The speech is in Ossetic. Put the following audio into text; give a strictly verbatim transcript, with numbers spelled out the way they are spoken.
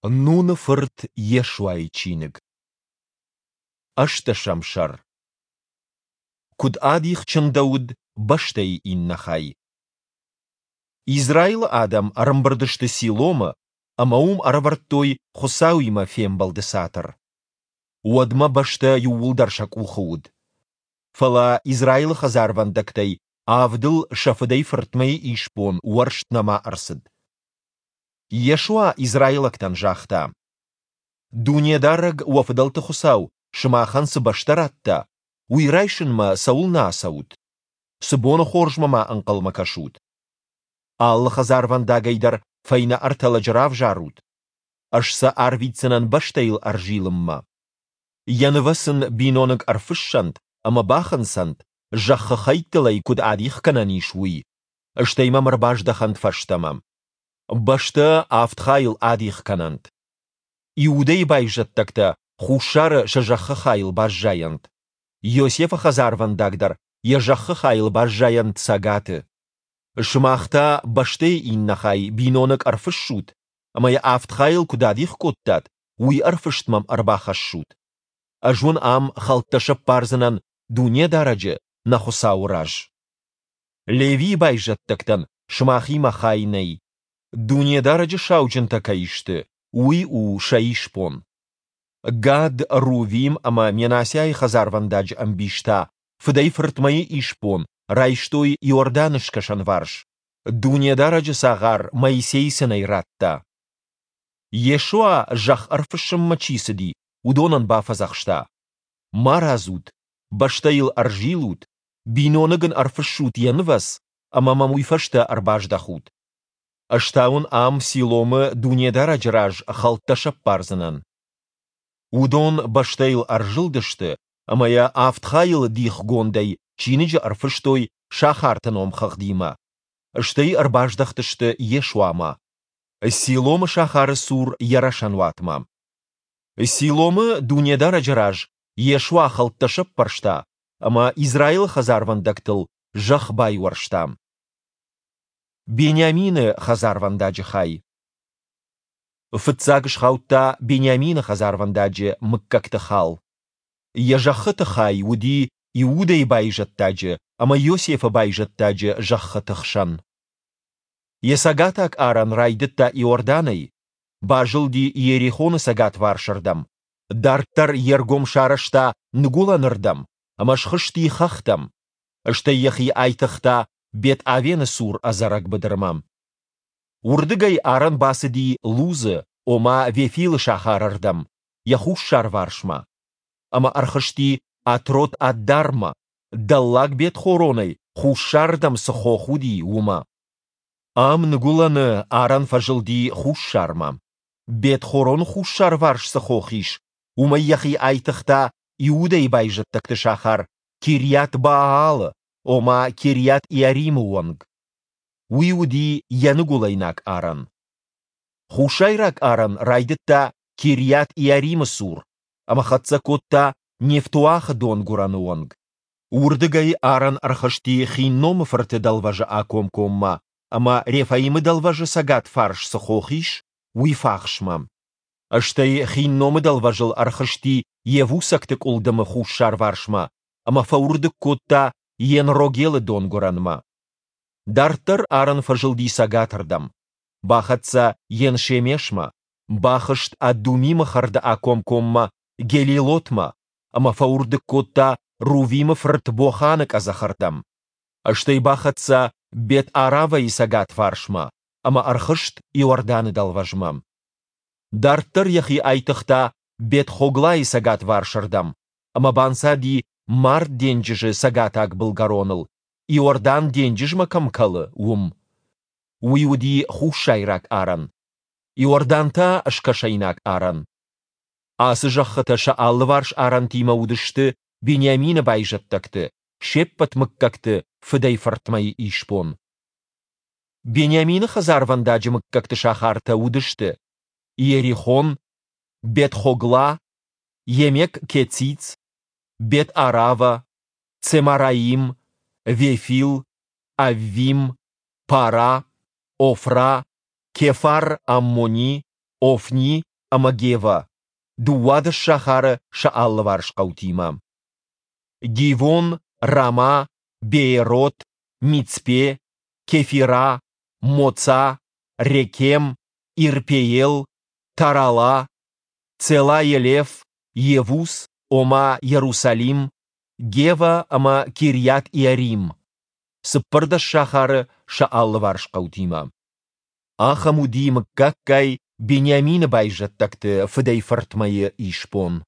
Нуны фырт Йешуайы чиныг. Ӕстдӕсӕм сӕр. Куыд адих чындӕуыд бӕстӕйы иннӕ хай. Израилы адӕм ӕрӕмбырд сты Силомы ӕмӕ уым ӕрӕвӕрдтой Хуыцауимӕ фембӕлды цатыр. Уӕдмӕ бӕстӕ иууылдӕр сӕ къухы уыд. Фӕлӕ Израилы хӕдзарвӕндӕгтӕй авдыл сӕ фыдӕй-фыртмӕйы исбон уӕрст нӕма ӕрцыд. Йешуа израилӕгтӕн загъта: Дунедарӕг, уӕ фыдӕлты Хуыцау, сымахӕн цы бӕстӕ радта, уый райсынмӕ цӕуылнӕ ацӕут? Цы боны хорзмӕ ма ӕнхъӕлмӕ кӕсут? Алы хӕдзарвӕндагӕй дӕр фӕйнӕ ӕртӕ лӕджы равзарут. Ӕз сӕ арвитдзынӕн бӕстӕйыл ӕрзилынмӕ. Йӕ нывӕц ын биноныг ӕрфыссӕнт ӕмӕ бахынцӕнт, зӕххы хӕйттыл ӕй куыд адих кӕнӕн ис, уый, стӕй мӕм ӕрбаздӕхӕнт фӕстӕмӕ. Бӕстӕ авд хайыл адих кӕнӕнт. Иудӕйы байзӕддӕгтӕ хуссары сӕ зӕххы хайыл баззайӕнт. Йосефы хӕдзарвӕндаг дӕр йӕ зӕххы хайыл баззайӕнт цӕгаты. Сымах та бӕстӕйы иннӕ хай биноныг ӕрфыссут, ӕмӕ йӕ авд хайыл куыд адих кодтат, уый ӕрфыст мӕм ӕрбахӕссут. Ӕз уын ам хӕлттӕ сӕппардзынӕн Дунедарӕджы, нӕ Хуыцауы раз. Левийы байзӕддӕгтӕн сымахимӕ хай нӕй. Дунедарӕджы сауджынтӕ кӕй сты, уый у сӕ исбон. Гад, Рувим ӕмӕ Менассиайы хӕдзарвӕндаджы ӕмбис та фыдӕй-фыртмӕйы исбон райстой Иорданы скӕсӕнварс, Дунедарӕджы цагъар Моисей сын ӕй радта. Йешуа, зӕхх ӕрфыссынмӕ чи цыди, уыдонӕн бафӕдзӕхста: Марадзут, бӕстӕйыл ӕрзилут, биноныг ын ӕрфыссут йӕ нывӕц, ӕмӕ мӕм уый фӕстӕ ӕрбаздӕхут. Ӕз та уын ам Силомы Дунедарӕджы раз хӕлттӕ сӕппардзынӕн. Уыдон бӕстӕйыл ӕрзылдысты ӕмӕ йӕ авд хайыл дихгондӕй чиныджы ӕрфыстой сахарты номхыгъдимӕ. Стӕй ӕрбаздӕхтысты Йешуамӕ, Силомы сахары цур йӕ рӕсӕнуатмӕ. Силомы Дунедарӕджы раз Йешуа хӕлттӕ сӕппӕрста ӕмӕ Израилы хӕдзарвӕндӕгтыл зӕхх байуӕрста. Бениамины хӕдзарвӕндаджы хай. Фыццаг схаудта Бениамины хӕдзарвӕндаджы мыггӕгты хал. Йӕ зӕххыты хай уыди Иудӕйы байзӕддаджы ӕмӕ Йосефы байзӕддаджы зӕххыты хсӕн. Йӕ цӕгатаг арӕн райдыдта Иорданӕй, базылди Иерихоны цӕгатварсырдӕм, дарддӕр йе ргом сарӕзта ныгуылӕнырдӕм ӕмӕ схызти хӕхтӕм, стӕй йӕхи айтыгъта Бет-Авены цур ӕдзӕрӕг быдырмӕ. Уырдыгӕй арӕн бацыди Лузы, ома Вефилы сахарырдӕм, йӕ хуссарварсмӕ, ӕмӕ ӕрхызти Атрот-Аддармӕ, Дӕллаг Бет-Хоронӕй хуссарырдӕм цы хох уыди, уымӕ. Ам ныгуылӕны арӕн фӕзылди хуссармӕ. Бет-Хороны хуссарварс цы хох ис, уымӕй йӕхи айтыгъта Иудӕйы байзӕддӕгты сахар Кирйат-Баалы, ома Кирйат-Иаримы онг. Уый уыди йӕ ныгуылӕйнаг арӕн. Хуссайраг арӕн райдыдта Кирйат-Иаримы цур ӕмӕ хӕццӕ кодта Нефтоахы донгуырӕны онг. Уырдыгӕй арӕн ӕрхызти Хинномы фырты дӕлвӕзы акомкоммӕ ӕмӕ Рефаимы дӕлвӕзы цӕгат фарс цы хох ис, уый фахсмӕ. Стӕй Хинномы дӕлвӕзыл ӕрхызти Йевусӕгты къуылдымы хуссарварсмӕ ӕмӕ фӕуырдыг кодта Ен-Рогелы донгуырӕнмӕ. Дарддӕр арӕн фӕзылди цӕгатырдӕм, бахӕццӕ Ен-Шемешмӕ, бахызт Адумимы хӕрды акомкоммӕ Гелилотмӕ ӕмӕ фӕуырдыг кодта Рувимы фырт Боханы къӕдзӕхырдӕм. Стӕй бахӕццӕ Бет-Аравӕйы цӕгатварсмӕ ӕмӕ ӕрхызт Иорданы дӕлвӕзмӕ. Дарддӕр йӕхи айтыгъта Бет-Хоглайы цӕгатварсырдӕм ӕмӕ банцади Мард денджызы цӕгатаг былгӕроныл, Иордан денджызмӕ кӕм кӕлы, уым. Уый уыди хуссайраг арӕн. Иордан та скӕсӕйнаг арӕн. Ацы зӕххытӕ сӕ алыварс арӕнтимӕ уыдысты Бениамины байзӕддӕгты, се ппӕт мыггӕгты фыдӕй-фыртмӕйы исбон. Бениамины хӕдзарвӕндаджы мыггӕгты сахартӕ уыдысты: Иерихон, Бет-Хогла, Емек-Кециц, Бет-Арава, Цемараим, Вефил, Аввим, Пара, Офра, Кефар-Аммони, Офни ӕмӕ Гевӕ, дыууадӕс сахары сӕ алыварс хъӕутимӕ. Гивон, Рамӕ, Беерот, Мицпе, Кефирӕ, Моца, Рекем, Ирпеел, Тарала, Целаелеф, Йевус (ома Йерусалим), Гевӕ ӕмӕ Кирйат-Иарим, цыппӕрдӕс сахары сӕ алыварс хъӕутимӕ. Ахӕм уыди мыггаггай Бениамины байзӕддӕгты фыдӕй-фыртмӕйы исбон.